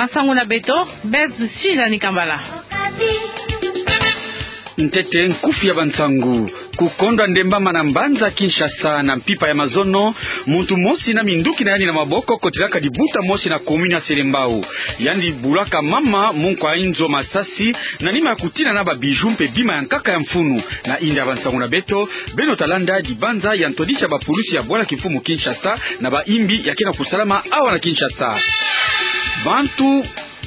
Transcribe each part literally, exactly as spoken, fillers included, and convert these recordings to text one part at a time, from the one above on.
Nsangu na beto, Beth Suzanne Kambala. Ntete nkufi ya bansangu. Kukondwa ndembama na mbanza Kinshasa na mpimpa ya mazono, muntu mosi na minduki na yandi na maboko kotilaka dibuta mosi na commune ya Selembao. Yandi bulaka mama mu nkwa inzo masasi, na nima ya kutina na ba bijoux mpe bima ya nkaka ya mfunu. Na inda ya bansangu na beto, beno talanda dibanza ya ntwadisi ya bapulusi ya bwala kimfumu Kinshasa na ba imbi ya ke na kusalama awa na Kinshasa. Bantu,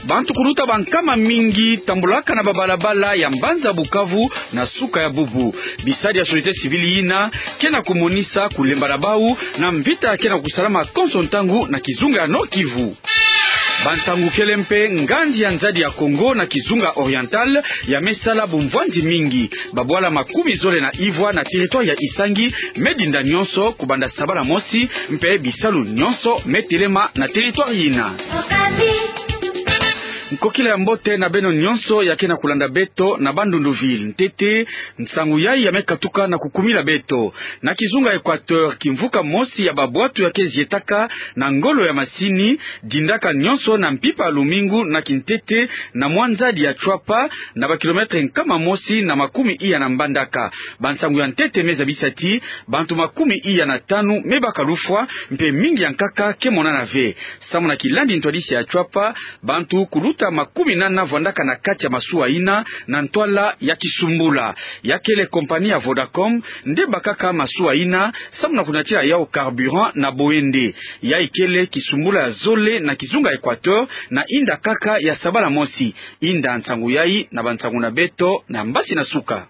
bantu kuluta bankama mingi tambulaka na babalabala ya mbanza Bukavu na suka ya bubu. Bisadi ya société civile yina ke na kumonisa kulemba na bau na mvita ke na kusalama konso ntangu na kizunga ya Nord-Kivu. Bansangu kele mpe, nganzi ya nzadi ya Congo na kizunga Oriental ya me sala bumvwanzi mingi. Babwala makumi zole na ivwa na territoire ya Isangi me dinda nyonso kubanda sabala mosi, mpe bisalu nyonso me telema na territoire yina. Nkokila ya mbote na beno nyonso ya ke na kulanda beto na Bandundu Ville. Ntete, nsangu yayi ya me katuka na kukumila beto. Na kizunga Equateur, kimvuka mosi ya babwatu ya ke zietaka na ngolo ya masini, dindaka nyonso na mpimpa ya lumingu na kintete na mwa nzadi ya Tshuapa, na ba kilomètre nkama mosi na makumi iya na Mbandaka. Bansangu ya ntete me zabisa ti bantu makumi iya na tanu me baka lufwa, mpe mingi ya nkaka ke monana ve. Samu na kilandi ntwadisi ya Tshuapa, bantu kuluta makumi nana vwandaka na kati ya masuwa yina na ntwala ya kisumbula. Ya kele compagnie ya Vodacom nde bakaka masuwa yina, samu na kunatila yau carburant na boyende. Yayi kele kisumbula ya zole na kizunga Equateur na inda kaka ya sabala mosi. Inda nsangu yayi na bansangu na beto na mbasi na suka.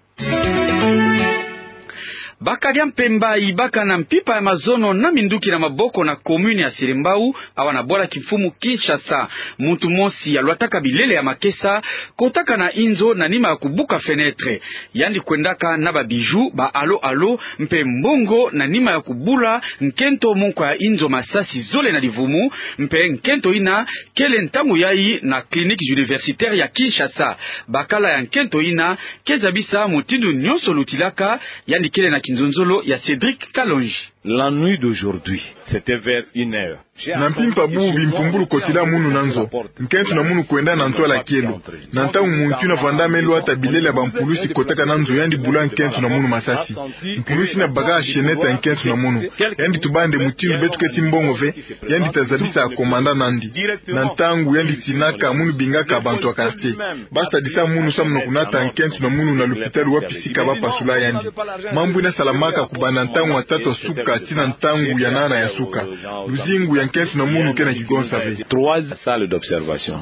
Bakadia mpemba yibaka na mpimpa ya mazono na minduki na maboko na commune ya Selembao, awa na bwala kimfumu Kinshasa. Muntu mosi ya lwataka bilele ya makesa kotaka na inzo na nima ya kubuka fenêtre. Yandi kwendaka na ba bijoux, ba halo-halo, mpe mbongo na nima ya kubula nkento mu nkwa ya inzo masasi zole na livumu, mpe nkento yina kele ntangu yayi na clinique universitaire ya Kinshasa. Bakala ya nkento yina ke zabisa mutindu nyonso lutilaka. Yandi kele na kinzonzolo ya Cédric Kalonji. La nuit d'aujourd'hui, c'était vers une heure. Na mpimpa bu bimpumbulu kotila munu na nzo, nkento na munu kwenda na ntwala kielo. Na ntangu muntu yina vwanda me lwata, bilele ya bampulusi kotaka na nzo, yandi bula nkento na munu masasi. Mpulusi yina baka chaînette ya nkento na munu. Yandi tuba nde mutindu beto keti mbongo ve, yandi ta zabisa commandant nandi. Na ntangu yandi tinaka, munu bingaka bantu ya quartier. Ba sadisa munu samu na kunata nkento na munu na lupitalu wapi sika ba pasula yandi. Mambu yina salamaka kubanda ntangu ya tatu ya suka tii na ntangu ya nana ya suka. Luzingu ya nkento na munu ke na kigonsa ve. Trois salles d'observation.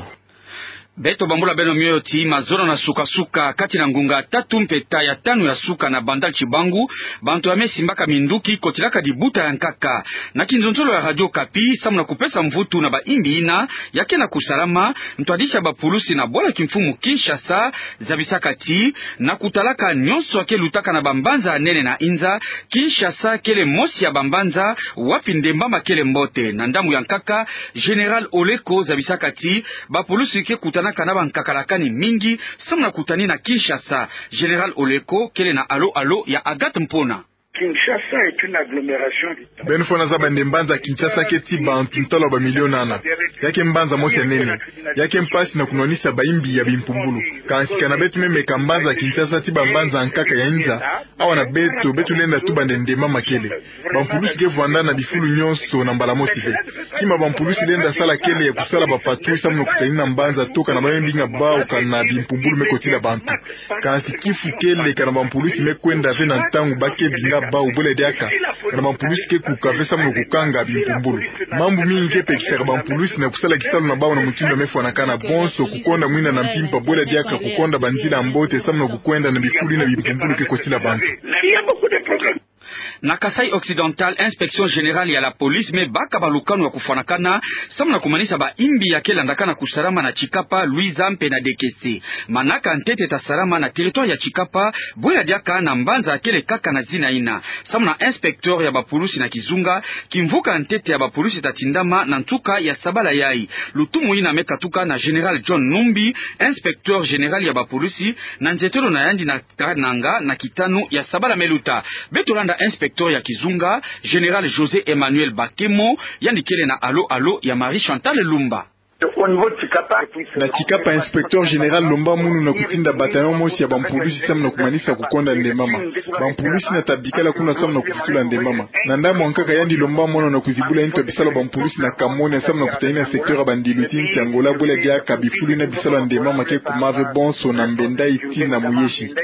Beto bambula beno mioyo ti mazono na suka-suka, kati na ngunga tatu mpe ta ya tanu ya suka na Bandal Chibangu, bantu ya me simbaka minduki kotilaka dibuta ya nkaka. Na kinzonzolo ya Radio Okapi, samu na kupesa mvutu na ba imbi yina ya ke na kusalama, ntwadisi ya bapulusi na bwala kimfumu Kinshasa zabisaka ti, na kutalaka nyonso ya ke lutaka na bambanza ya nene na inza, Kinshasa kele mosi ya bambanza wapi ndembama kele mbote. Na ndambu ya nkaka, Général Oleko zabisaka ti bapulusi ke kutanaka na bankakalakani mingi samu na kutani na Kinshasa. Général Oleko kele na halo-halo ya Agathe Mpona. Kinshasa est une agglomération vitale. Beno fwana zaba nde mbanza Kinshasa keti bantu ntalo ya ba millions nana. Ya ke mbanza mosi ya nene. Ya ke mpasi na kunwanisa ba imbi ya bimpumbulu. Kansi kana beto me meka mbanza Kinshasa tii bambanza ya nkaka ya inza, awa na beto, beto lenda tuba nde ndembama kele. Bampulusi ke vwanda na bifulu nyonso na mbala mosi ve. Kima bampulusi lenda sala kele ya kusala ba patrouilles samu na kutani na mbanza to kana ba me binga bau kana bimpumbulu me kotila bantu. Kansi kifu kele kana bampulusi me kwenda ve na ntangu ba ke binga bau, bwela diaka kana bampulusi ke kuka ve samu na kukanga bimpumbulu. Mambu mingi ke pekisaka bampulusi na kusala kisalu na bau na mutindu ya me fwanakana. Bonso kukonda mwina na mpimpa, bwela diaka kukonda banzila ya mbote samu na kukwenda na bifulu yina bimpumbulu ke kotila bantu. Na Kasaï Occidental, Inspection Générale ya la Police me baka balukanu ya kufwanakana samu na kumanisa ba imbi ya ke landakana kusalama na Tshikapa, Luiza mpe na Dekese. Manaka ntete ta salama na territoire ya Tshikapa, bwela diaka na mbanza ya kele kaka na zina yina. Samu na inspecteur ya bapulusi na kizunga, kimvuka ntete ya bapulusi ta tindama na nsuka ya sabala yayi. Lutumu yina me katuka na Général John Numbi, inspecteur général ya bapulusi, na nzietelo na yandi na Kananga na kitanu ya sabala me luta. Beto landa inspecteur ya kizunga, Général José Emmanuel Bakemo, yandi kele na halo-halo ya Marie Chantal Lumba. Na Tshikapa, inspecteur général lomba munu na kutinda bataillon mosi ya bampulusi samu na kumanisa kukonda ndembama. Bampulusi na ta bikala kuna samu na kuvutula ndembama. Na ndambu ya nkaka yandi lomba mono na kuzibula ntu ya bisalu ya bampulusi na Kamone samu na kutanina secteur ya bandilu ti nsi Angola bwela diaka bifulu yina bisalu ya ndembama ke kuma ve bonso na Mbendai tii na Muyesi.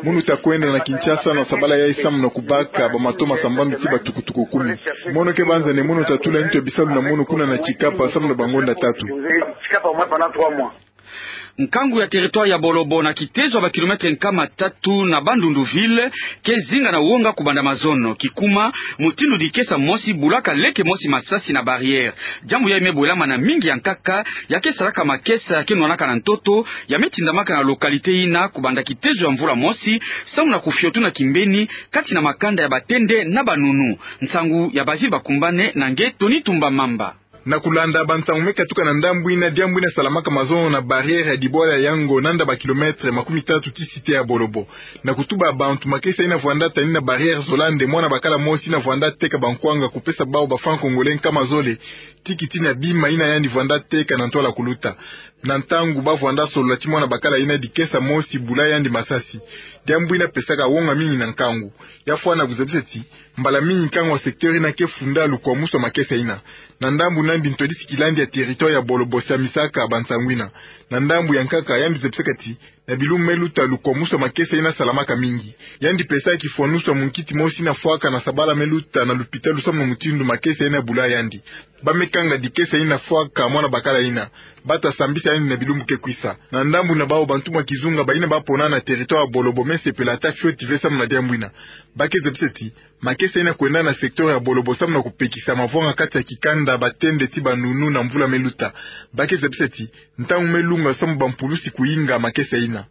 Munu ta kwenda na Kinshasa na sabala yayi samu na kubaka bamato masambanu tii batukutuku kumi. Mono ke banzane mono ta tula ntu ya bisalu na mono kuna na Tshikapa samu na bangonda tatu. Nkangu ya territoire ya Bolobo na kitezo ya ba kilomètre nkama tatu na Bandundu ville ke zinga na wonga kubanda mazono. Kikuma, mutindu dikesa mosi bulaka leke mosi masasi na barrière. Diambu yayi me bwelama na mingi ya nkaka, ya ke salaka makesa ya ke nwanaka na ntoto, ya me tindamaka na localité yina kubanda kitezo ya mvula mosi, samu na kufiotuna kimbeni kati na makanda ya Batende na Banunu. Nsangu ya Basil Bakumbane na nge Tony Tumba Mamba. Na kulanda bansangu me katuka na ndambu yina, diambu yina salamaka mazono na barrière ya Dibwala ya Yango, nanda ba kilomètre makumi tatu ti cité ya Bolobo. Na kutuba bantu, makesa yina vwanda tani na barrière zola nde mwana bakala mosi yina vwanda teka bankwanga kupesa bawu ba francs congolais nkama zole, ti kiti na bima yina yandi vwanda teka na ntwala kuluta. Na ntangu ba vwanda solola ti mwana bakala yina, dikesa mosi bula yandi masasi. Diambu yina pesaka wonga mingi na nkangu. Ya fwana kuzabisa ti, mbala mingi nkangu ya secteur yina ke funda lukwamusu ya makesa yina. Na ndambu nandi ntwadisi kilandi ya territoire ya Bolobo samisaka bansangu yina. Na ndambu ya nkaka, yandi zabisaka ti, na bilumbu me luta lukwamusu ya makesa yina salamaka mingi. Yandi pesaka kifwanusu ya munkiti mosi yina fwaka na sabala me luta na lupitalu samu na mutindu makesa yina bula yandi. Ba me kanga dikesa yina fwaka mwana bakala yina, ba ta sambisa yandi na bilumbu ke kwisa. Na ndambu na bawu, bantu mwa kizunga bayina ba pona na territoire ya Bolobo me sepela ata fioti ve samu na diambu yina. Ba ke zabisa ti, makesa yina kwenda na secteur ya Bolobo samu na kupekisa mavwanga kati ya kikanda Batende ti Banunu na mvula me luta. Ba ke zabisa ti, ntangu me lunga samu bampulusi kuyinga makesa yina.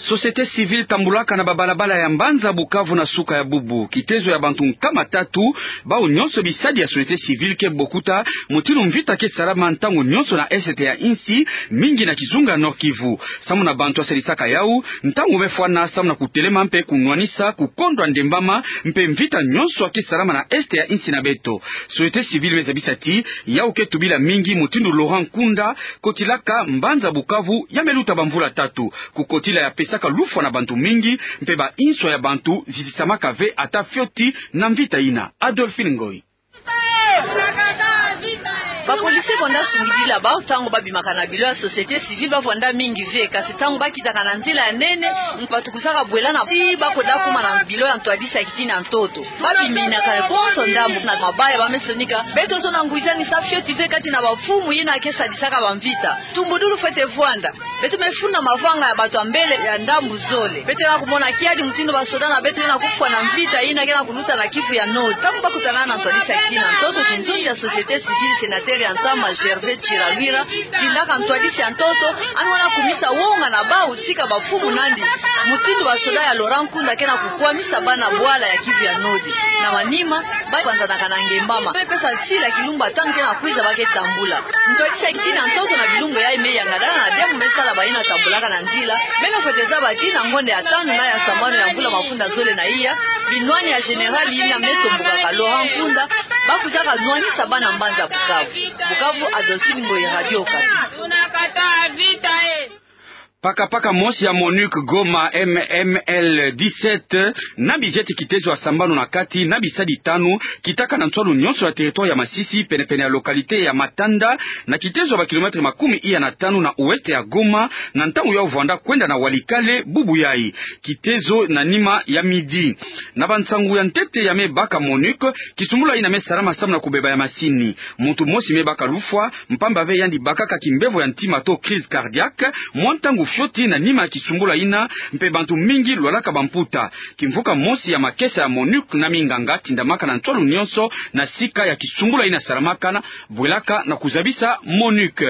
Société civile tambulaka na babalabala ya mbanza Bukavu na suka ya bubu. Kitezo ya bantu nkama tatu, bawu nyonso bisadi ya société civile, ke bokuta mutindu mvita ke salama ntangu nyonso na est ya insi, mingi na kizunga Nord-Kivu. Samu na bantu ya sadisaka yawu, ntangu me fwana samu na kutelema mpe kunwanisa kukondwa ndembama mpe mvita nyonso ya ke salama na est ya insi na beto. Société civile me zabisa ti, yawu ke tubila mingi mutindu Laurent Nkunda kotilaka mbanza Bukavu ya me luta bamvula tatu. Kukotila ya pesaka lufwa na bantu mingi, mpe ba inswa ya bantu zidisamaka ve ata fioti na mvita yina. Adolphine Ngoyi. Ba policiers vwanda sungidila bawu ntangu ba bimaka na bilo ya société civile, ba vwanda mingi ve, kasi ntangu ba kitaka na nzila ya nene, batukuzaka bwela na ti ba koda kuma na bilo ya ntwadisi ya kitini ya ntoto. Ba biminaka konso ndambu na mabaya, ba me sonika: beto zola ngwizani, sa fioti ve kati na bamfumu yina ke sadisaka bamvita. Tumbudulu fwete vwanda. Beto me funda mavanga ya bantu ya mbele ya ndambu zole. Beto ke na kumona kiadi mutindu basoda na beto ke na kufwa na mvita yina ke na kuluta na Kivu ya Nord. Ntangu ba kutana na ntwadisi ya kitini ya ntoto, kinzonzi ya société civile, sénateur ya ntama Gervais Chiralwira, tindaka ntwadisi ya ntoto, yandi wena kumisa wonga na bawu tika bamfumu nandi mutindu basoda ya Laurent Nkunda ke na kukwamisa bana bwala ya Kivu ya Nord. Na manima, ba panzanaka na ngembama. Ba me pesa nsila kilumbu tanu ke na kwiza ba ke tambula. Ntwadisi ya kitini ya ntoto na bilumbu yayi me yangadana na diambu me sala bayina tambulaka na nzila. Beno fwete zaba ti na ngonda ya tanu na ya sambanu ya mvula mafunda zole na iya, binwani ya général yina me tombokaka Laurent Nkunda, ba kwizaka nwanisa bana mbanza Bukavu. Bukavu, Adolphine Ngoyi, Radio Okapi. Pakapaka mosi ya MONUC Goma, M M L dix-sept, na bi jet kitezo ya sambanu na kati na bisadi tanu, kitaka na nswalu nyonso ya territoire ya Masisi, penepene ya localité ya Matanda, na kitezo ya ba kilomètre makumi iya na tanu na ouest ya Goma, na ntangu yawu vwanda kwenda na Walikale bubu yayi. Kitezo na nima ya midi. Na bansangu ya ntete ya me baka MONUC, kisumbula yina me salama samu na kubeba ya masini. Muntu mosi me baka lufwa, mpamba ve yandi bakaka kimbevo ya ntima to crise cardiaque, mwa ntangu fioti na nima ya kisumbula yina, mpe bantu mingi lwalaka bamputa. Kimvuka mosi ya makesa ya MONUC na minganga tindamaka na nswalu nyonso na sika ya kisumbula yina salamaka na bwelaka na kuzabisa MONUC.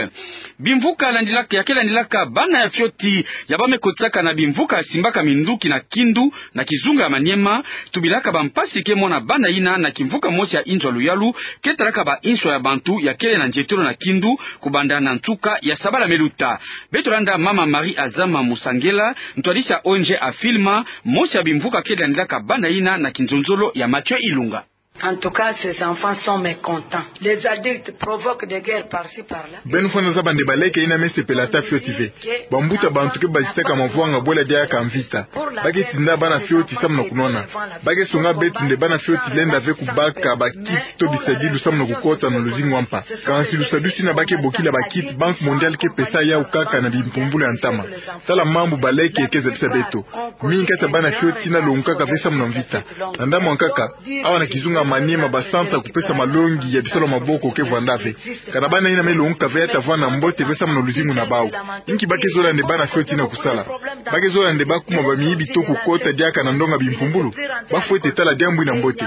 Bimvuka landilaka, ya ke landilaka bana ya fioti ya ba me kotisaka na bimvuka ya simbaka minduki na Kindu, na kizunga ya Maniema, tubilaka bampasi ke mona bana yina na kimvuka mosi ya inzo ya luyalu ke talaka ba inswa ya bantu ya kele na nzietolo na Kindu, kubanda na nsuka ya sabala me luta. Beto landa mama Marie Azama Musangela, ntwadisi ya O N G Afilma, mosi ya bimvuka ke landilaka bana yina na kinzonzolo ya Mathieu Ilunga. En tout cas, ces enfants sont mécontents. Les adultes provoquent des guerres par-ci, par-là. Beno fwana zaba nde baleke yina me sepela ata fioti ve. Bambuta bantu ke bazitaka mavwanga bwela diaka mvita. Ba ke tinda bana fioti samu na kunwana. Ba ke songa beto nde bana fioti lenda ve kubaka bakiti to bisadilu samu na kukota na luzingu wa mpa. Kansi lusadusu yina ba ke bokila bakiti, Banque mondiale ke pesa yawu kaka na bimpumbulu ya ntama. Tala mambu baleke ke zabisa beto. Mingi kati ya bana fioti yina longukaka ve samu na mvita. Na ndambu ya nkaka, awa na kizunga Maniema basansa kupesa malongi ya bisalu ya maboko ke vwanda ve. Kana bana yina me longuka ve ya ta vwanda mbote ve samu na luzingu na bawu. Inki ba ke zola nde bana fioti yina kusala? Ba ke zola nde ba kuma bamiyibi to kukota diaka na ndonga bimpumbulu? Ba fwete tala diambu yina mbote.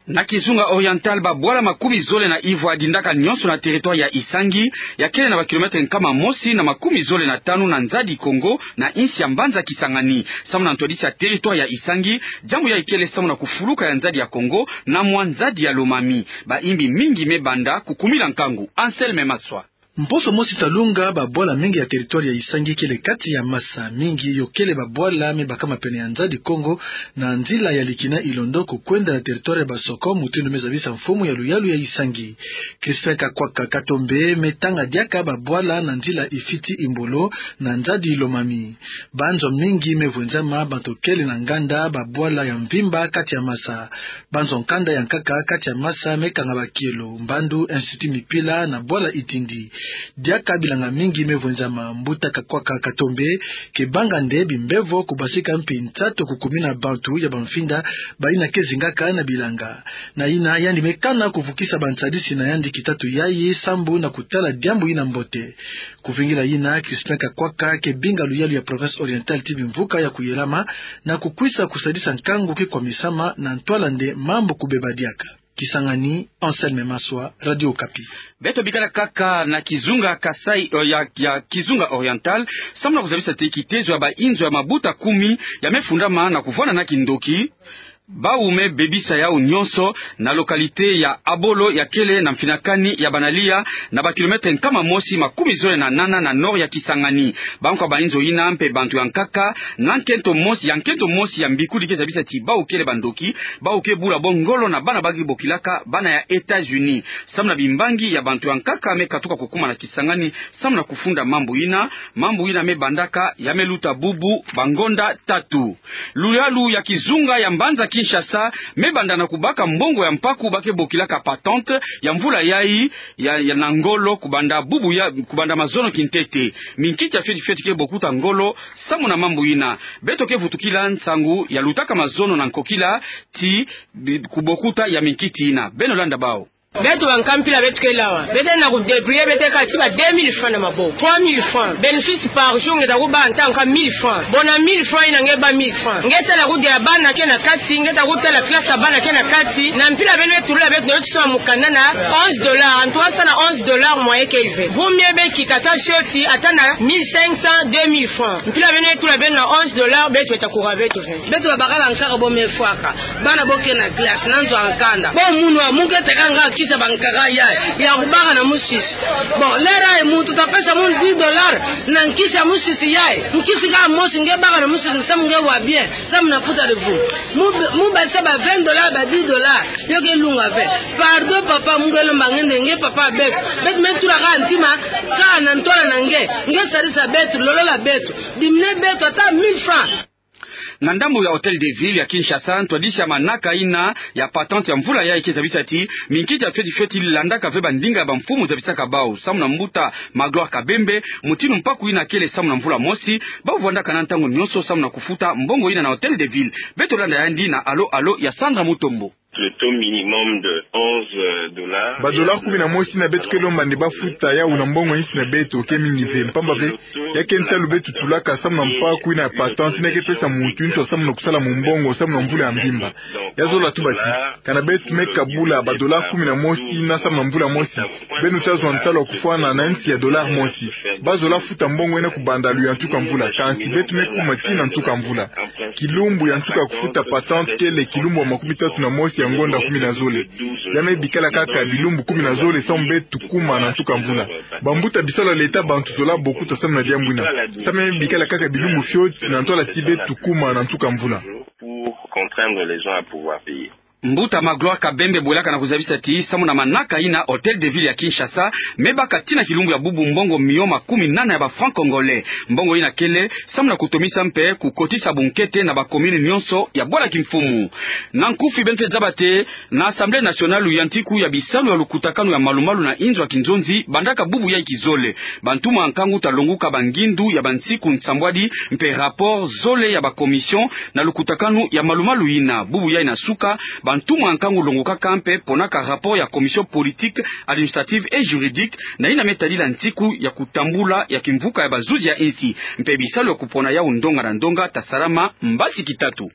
Na kizunga Oriental, babwala makumi zole na ivwa ya dindaka nyonso na territoire ya Isangi, ya kele na ba kilomètre nkama mosi na makumi zole na tanu na nzadi Kongo, na insi ya mbanza Kisangani. Samu na ntwadisi ya territoire ya Isangi, diambu yayi kele samu na kufuluka ya nzadi ya Kongo na mwa nzadi ya Lomami. Bayimbi mingi me banda kukumila nkangu. Anselme Maswa. Mposo mosi ta lunga, babwala mingi ya territoire ya Isangi kele kati ya masa. Mingi yo kele babwala me bakama pene ya nzadi Kongo, na nzila ya Likina Ilondo kukwenda na territoire ya Basoko, mutindu me zabisa mfumu ya luyalu ya Isangi. Crispin Kakwaka Katombe me tanga diaka babwala na nzila Ifiti Imbolo na nzadi Lomami. Banzo mingi me vwenzama, bantu kele na nganda, babwala ya mvimba kati ya masa. Banzo nkanda ya nkaka kati ya masa me kanga bakielo, mbandu, Institut Mipila na bwala Itindi. Diaka bilanga mingi me vwenzama. Mbuta Kakwaka Katombe ke banga nde bimbevo kubasika mpi nsatu kukumina bantu ya bamfinda bayina ke zingaka na bilanga. Na yina yandi me kana kuvukisa bantwadisi na yandi kitatu yayi sambu na kutala diambu yina mbote. Kuvingila yina, Crispin Kakwaka ke binga luyalu ya Province Orientale ti bimvuka ya kuyelama na kukwisa kusadisa nkangu ke kwamisama na ntwala nde mambu kubeba diaka. Kisangani, Anselme Maswa, Radio Okapi. Beto bikala kaka na kizunga Kasaï, eh, ya, ya kizunga Oriental, samu na kuzabisa ti kitezo ya bainzo ya mabuta kumi ya me fundama na kuvwanda na kindoki, bawu me bebisa yawu nyonso na localité ya Abolo ya kele na mfinakani ya Banalia, na ba kilomètre nkama mosi makumi zole na nana na nord ya Kisangani. Bankwa bainzo yina mpe bantu ya nkaka na nkento mosi, ya nkento mosi ya mbikudi ke zabisa ti bawu kele bandoki, bawu ke bula bo ngolo na bana ba ke bokilaka bana ya États-Unis. Samu na bimbangi ya bantu ya nkaka me katuka kukuma na Kisangani, samu na kufunda mambu yina, mambu yina me bandaka ya me luta bubu bangonda tatu. Luyalu ya kizunga ya mbanza Kinshasa me banda na kubaka mbongo ya mpaku ba ke bokilaka patente ya mvula yayi ya, ya na ngolo kubanda bubu ya, kubanda mazono kintete. Minkiti ya fioti fioti ke bokuta ngolo samu na mambu yina. Beto ke vutukila nsangu ya lutaka mazono na nkokila ti bi-, kubokuta ya minkiti yina. Beno landa bawu. Beto bankaka mpila beto kele awa. Beto na kudébrouiller, beto kaka ti ba deux mille francs na maboko. Trois mille francs. Bénéfice par jour nge ta kubaka ntangu kaka mille francs. Bo na mille francs yina nge baka mille francs. Nge tala kudila bana ke na kati, nge ta kutala classe ya bana ke na kati. Na mpila beno me tulula beto, na beto sala mukanda na onze dollars. En tout cas, sa na onze dollars moyen ke ve. Vaut mieux beno kita ata fioti, ata na mille cinq cents, deux mille francs. Mpila beno me tulula beno na onze dollars, beto beta kura beto ve. Beto babakala nkaka bo me fwaka. Bana bo ke na classe, na nzo ya nkanda. Bo munu wa, mu ke teka nga nkisi ya bankaka yayi, ya kubaka na musisi. Bon, l'heure yayi muntu ta pesa munu dix dollars na nkisi ya musisi yayi. Nkisi kaka mosi nge baka na musisi, samu nge wa bien, samu na puta de vous. Mu, mu basisa ba vingt dollars, ba dix dollars, yo ke lunga ve. Pardon papa, mu ke lomba nge nde nge papa beto. Beto me tula kaka ntima, kaka na ntwala na nge. Nge sadisa beto, lolola beto. Diminuer beto ata mille francs. Na ndambu ya Hôtel de Ville ya Kinshasa, ntwadisi ya manaka yina ya patente ya mvula yayi ke zabisa ti minkiti ya fioti fioti landaka ve bandinga ya bamfumu zabisaka bawu. Samu na mbuta Magloire Kabembe, mutindu mpaku yina kele samu na mvula mosi, bawu vwandaka na ntangu nyonso samu na kufuta mbongo yina na Hôtel de Ville. Beto landa yandi na Allô Allô ya Sandra Mutombo. Le taux minimum de onze dollars. Ba dollars kumi na mosi yina beto ke lomba nde bafuta yawu na mbongo insi na beto ke mingi ve, mpamba ve ya ke ntalu beto tulaka samu na mpaku yina ya patente yina ke pesa muntu inso samu na kusala mumbongo samu na mvula ya mvimba. Ya zola tuba ti, kana beto me kabula ba dollars kumi na mosi yina samu na mvula mosi, beno ta zwa ntalu ya kufwana na insi ya dollar mosi. Ba zola futa mbongo yina kubanda luyantika mvula, kansi beto me kuma tii na ntuka mvula. Kilumbu ya nsuka ya kufuta patente kele kilumbu ya makumi tatu na mosi ya ngonda kumi na zole. Ya me bikala kaka bilumbu kumi na zole samu beto kuma na nsuka mvula. Bambuta bisalu ya leta bantu zola bokuta samu na diambu yina. Samu ya me bikala kaka bilumbu fioti na ntwala ti beto kuma na nsuka mvula. prendre les gens à pouvoir payer. Mbuta Magloire Kabembe bwelaka na kuzabisa ti samu na manaka ina Hôtel de Ville ya Kinshasa me baka tii na kilumbu ya bubu mbongo mio makumi nana ya ba francs congolais. Mbongo ina kele samu na kutomisa mpe kukotisa bunkete na ba commune nyonso ya bwala kimfumu. Na nkufi beno fweti zaba te na Assemblée nationale, luyantiku ya bisalu ya lukutakanu ya malumalu na inzo ya kinzonzi bandaka bubu yai kizole. Bantumwa nkangu ta longuka bangindu ya bansiku nsambwadi mpe rapport zole ya ba commission na lukutakanu ya malumalu ina. Bubu yai na suka, bantumwa nkangu longukaka mpe ponaka rapport ya commission politique, administrative et juridique na ina me tadila nsiku ya kutambula ya kimvuka ya bazuzi ya insi. Mpe bisalu ya kupona yau ndonga na ndonga ta salama mbasi kitatu.